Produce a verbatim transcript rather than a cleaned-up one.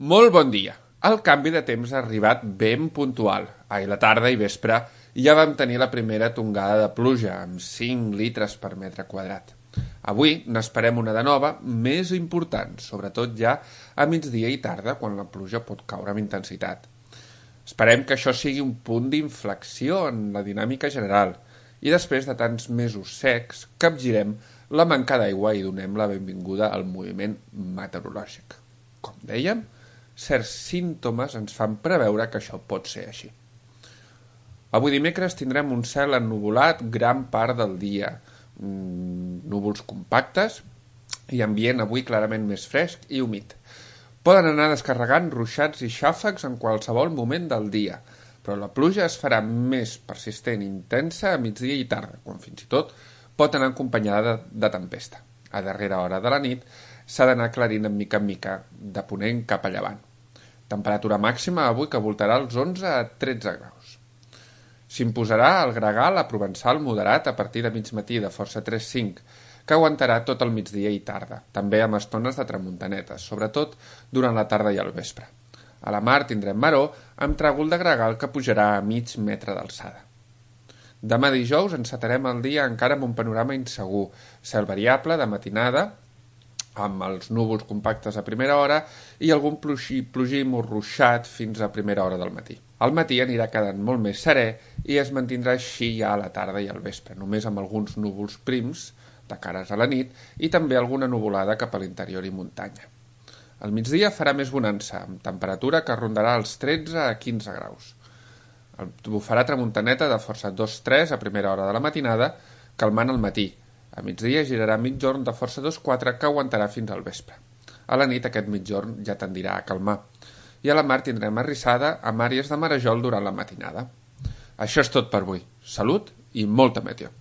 Molt bon dia. El canvi de temps ha arribat ben puntual. Ahir la tarda i vespre ja vam tenir la primera tongada de pluja, amb cinc litres per metre quadrat. Avui n'esperem una de nova, més important, sobretot ja a migdia i tarda, quan la pluja pot caure amb intensitat. Esperem que això sigui un punt d'inflexió en la dinàmica general i després de tants mesos secs capgirem la manca d'aigua i donem la benvinguda al moviment meteorològic. Com dèiem, certs símptomes ens fan preveure que això pot ser així. Avui dimecres tindrem un cel ennuvolat gran part del dia, núvols compactes i ambient avui clarament més fresc i humit. Poden anar descarregant ruixats i xàfecs en qualsevol moment del dia, però la pluja es farà més persistent i intensa a migdia i tarda, quan fins i tot pot anar acompanyada de, de tempesta. A darrera hora de la nit s'ha d'anar aclarint en mica en mica, de ponent cap a llevant. Temperatura màxima avui que voltarà els onze a tretze graus. S'imposarà el gregal a provençal moderat a partir de mig matí de força tres cinc, que aguantarà tot el migdia i tarda, també amb estones de tramuntanetes, sobretot durant la tarda i el vespre. A la mar tindrem maró amb tràgol de gregal que pujarà a mig metre d'alçada. Demà dijous encetarem el dia encara amb un panorama insegur, cel variable de matinada, amb els núvols compactes a primera hora i algun plogim o ruixat fins a primera hora del matí. Al matí anirà quedant molt més serè i es mantindrà així ja a la tarda i al vespre, només amb alguns núvols prims de cares a la nit i també alguna nuvolada cap a l'interior i muntanya. Al migdia farà més bonança, amb temperatura que rondarà els tretze a quinze graus. Bufarà tramuntaneta de força dos tres a primera hora de la matinada, calmant al matí. A migdia girarà mitjorn de força dos quatre que aguantarà fins al vespre. A la nit aquest mitjorn ja tendirà a calmar. I a la mar tindrem arrissada amb àrees de marejol durant la matinada. Això és tot per avui. Salut i molta meteo.